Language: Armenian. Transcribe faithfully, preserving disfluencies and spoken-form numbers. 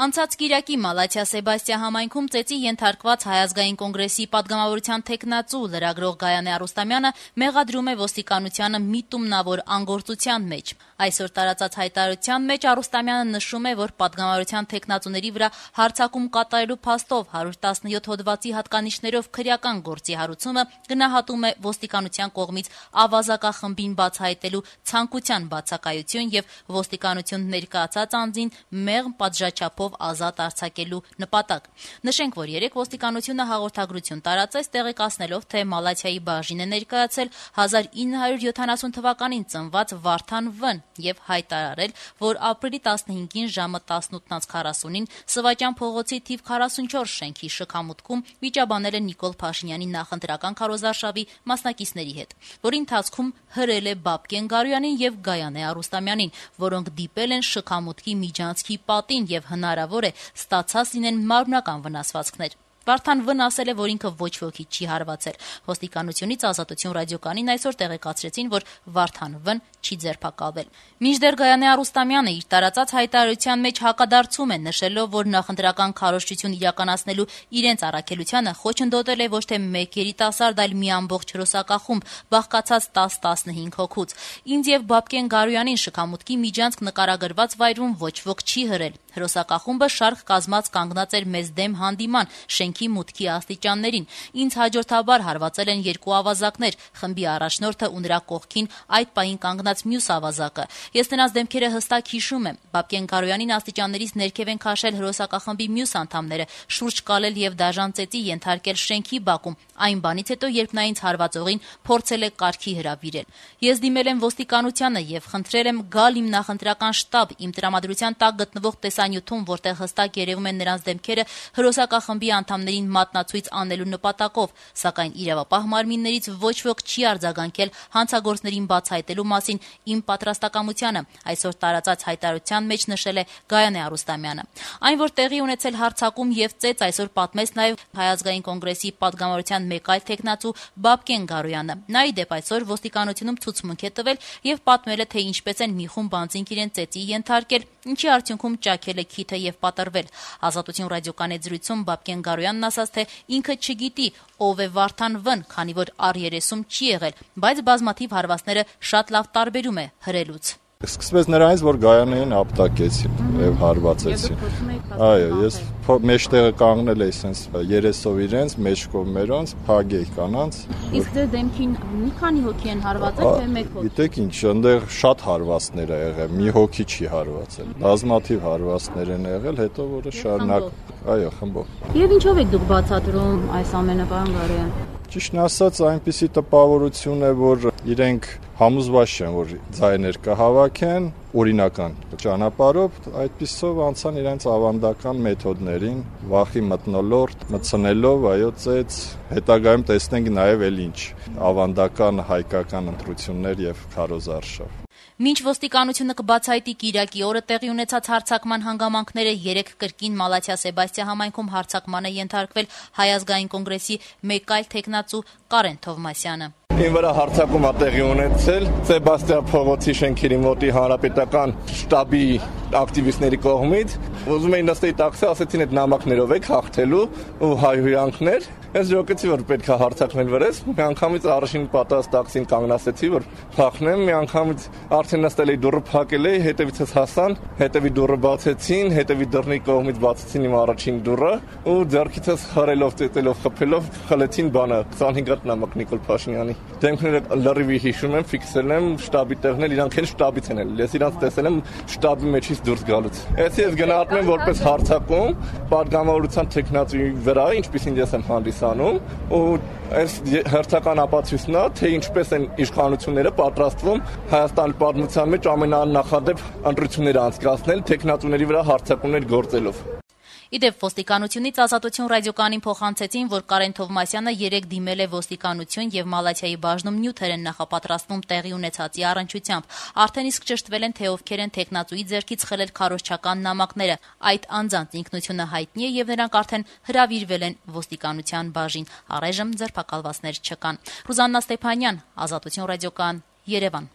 Անցած կիրակի Մալաթիա Սեբաստիա համայնքում ծեծի ենթարկված Հայ ազգային կոնգրեսի պատգամավորության թեկնածու լրագրող Գայանե Արուստամյանը մեղադրում է ոստիկանությանը միտումնավոր անգործության մեջ։ Այսօր տարածած հայտարարության մեջ Արուստամյանը նշում է, որ պատգամավորության թեկնածուների վրա հարձակում կատարելու փաստով հարյուր տասնյոթ հոդվածի հատկանիշներով քրեական գործի հարուցումը գնահատում է ոստիկանության կողմից ավազակախմբին բացահայտելու ցանկության բացակայություն եւ ոստիկանություն ներկայացած անձին մեղմ պատժաչափով ազատ արձակելու նպատակ։ Նշենք, որ երեկ ոստիկանությունը հաղորդագրություն տարածեց տեղեկացնելով, թե Մալաթիայի բաժին է ներկայացել հազար ինը հարյուր յոթանասուն թվականին ծնված Վարդան Վ-ն եւ հայտարարել, որ ապրիլի տասնհինգին ժամը տասնութ քառասունին Սվաճան փողոցի թիվ քառասունչորս շենքի շքամուտքում վիճաբանել է Նիկոլ Փաշինյանի նախընտրական քարոզարշավի մասնակիցների հետ, որի ընթացքում հրել է Բաբկեն Գարոյանին եւ Գայանե Արուստամյանին, որոնք դիպել են շքամուտքի միջանցքի պատին եւ հնարավոր է ստացած լինեն մարմնական վնասվածքներ։ Վարդան Վ-ն ասել է, որ ինքը ոչ ոքի չի հարվածել։ Ոստիկանությունից Ազատություն ռադիոկայանին այսօր տեղեկացրեցին, որ Վարդան Վ-ն չի ձերբակալվել։ Մինչդեռ Գայանե Արուստամյանը իր տարածած հայտարարության մեջ հակադարձում է, նշելով, որ նախընտրական քարոզչություն իրականացնելու իրենց առաքելությանը խոչընդոտել է ոչ թե մեկ երիտասարդ, այլ մի ամբողջ հրոսակախումբ, բաղկացած տասը տասնհինգ հոգուց։ Ինձ եւ Բաբկեն Գարոյանին շքամուտքի միջանցք նկարագրված վայրում ոչ ոք չի հրել։ Հրոսակախումբը շարք կազմած կանգնած էր մեզ դեմ հանդիման շենքի մուտքի աստիճաններին։ Ինձ հաջորդաբար հարվածել են երկու ավազակներ, խմբի առաջնորդը ու նրա կողքին այդ պահին կանգնած մյուս ավազակը։ Ես նրանց դեմքերը հստակ հիշում եմ։ Բաբկեն Գարոյանին աստիճաններից ներքև են քաշել հրոսակախմբի մյուս անդամները, շուրջ կալել եւ դաժան ծեծի ենթարկել շենքի բակում, այն բանից հետո, երբ նա ինձ հարվածողին փորձել է կարգի հրավիրել։ Ես դիմել եմ ոստիկանությանը եւ խնդրել եմ գալ իմ նախընտրական շտաբ, իմ տրամադրության տակ գտնվող տեսանյութում, որտեղ հստակ երևում են նրանց դեմքերը հրոսակախմբի անդամներին մատնացույց անելու նպատակով, սակայն իրավապահ մարմիններից ոչ ոք չի արձագանքել հանցագործներին բացահայտելու մասին իմ պատրաստակամությանը, այսօր տարածած հայտարարության մեջ նշել է Գայանե Արուստամյանը։ Այն, որ տեղի ունեցել հարձակում եւ ծեծ, այսօր պատմեց նաեւ Հայ ազգային կոնգրեսի պատգամավորության մեկ այլ թեկնածու Բաբկեն Գարոյանը։ Նա ի դեպ այսօր ոստիկանությունում ցուցմունք է տվել եւ պատմել է, թե ինչպես են մի խումբ անձինք իրեն ծեծի ենթարկել, ինչի արդյունքում ճաքել է քիթը եւ պատրվել։ Ազատություն ռադիոկայանի զրույցում Բաբկեն Գարոյանն ասաց, թե ինքը չգիտի ով է Վարդան Վ-ն, քանի որ առ երեսում չի եղել, բայց բազմաթիվ հարվածները շատ լավ տարբերում է հրելուց։ Սկսվեց նրանից, որ Գայանեին ապտակեցին եւ հարվածեցին։ Այո, ես մեջտեղը կանգնել էի սենց երեսով իրենց, մեջ կողմերոնց, փագեի կանանց։ Իսկ դե դեմքին մի քանի հոգի են հարվածել, թե մեկ հոգի։ Գիտեք ինչ, այնտեղ շատ հարվածներ ա եղել, մի հոգի չի հարվածել։ Բազմաթիվ հարվածներ են եղել, հետո որը շարունակ, այո, խմբով։ Եվ ինչով եք դուք բացատրում այս ամենը, պարոն Գարոյան։ Ճիշտն ասած, այնպիսի տպավորություն է, որ իրենք համոզված չեն, որ ձայներ կհավաքեն օրինական ճանապարհով, այդպիսով անցան իրենց ավանդական մեթոդներին, վախի մթնոլորտ, մտցնելով, այո, ծեծ, հետագայում տեսնենք նաև էլ ինչ ավանդական հայկական ընտրություններ եւ քարոզարշավ։ Մինչ ոստիկանությունը կբացահայտի կիրակի օրը տեղի ունեցած հարձակման հանգամանքները, երեկ կրկին Մալաթիա Սեբաստիա համայնքում հարձակման է ենթարկվել Հայ ազգային կոնգրեսի մեկ այլ թեկնածու Կարեն Թովմասյանը։ Ին վրա հարձակում ա տեղի ունեցել Սեբաստիա փողոցի շենքերի մոտի հանրապետական շտաբի ակտիվիստների կողմից։ Ուզում էին նստեի տաքսի, ասեցին այդ նամակներով եք հաղթելու ու հայհոյանքներ։ Ես ժողովրդի որ պետք է հարձակվեն վրես, մի անգամից առաջին պատրաստ տաքսին կանգնացեցի, որ փախնեմ, մի անգամից արդեն նստել էի դուռը փակել էի, հետևիցս հասան, հետևի դուռը բացեցին, հետևի դռնի կողմից բացեցին իմ առաջին դուռը ու ձեռքիցս խրելով, ծեծելով, խփելով խլեցին բանը քսանհինգ հատ նամակ Նիկոլ Փաշինյանի։ Դեմքները լրիվ հիշում եմ, ֆիքսել եմ, շտաբի տեղն էլ իրանք են շտաբից են էլ։ Ես իրանք տեսել եմ շտաբի մեջից դուրս գալուց։ Այսի ես գնահատում եմ որպես հարձակում պատգամավորության տեխնացուի վրա, ինչպեսին ես եմ հանդիսանում, ու այս հերթական ապացույցն է, թե ինչպես են իշխանությունները պատրաստվում Հայաստանի պատմության մեջ ամենանախադեպ ընտրությունները անցկացնել տեխնացուների վրա հարձակումներ գործելով։ Իդեպ ոստիկանությունից Ազատություն ռադիոկայանին փոխանցեցին, որ Կարեն Թովմասյանը երեկ դիմել է ոստիկանություն եւ Մալաթիայի բաժնում նյութեր են նախապատրաստվում տեղի ունեցածի առնչությամբ։ Արդեն իսկ ճշտվել են, թե ովքեր են տեխնացուի ձեռքից խլել քարոզչական նամակները։ Այդ անձանց ինքնությունը հայտնի է եւ նրանք արդեն հրավիրվել են ոստիկանության բաժին։ Առայժմ ձերբակալվածներ չկան։ Ռուզաննա Ստեփանյան, Ազատություն ռադիոկայան, Երևան։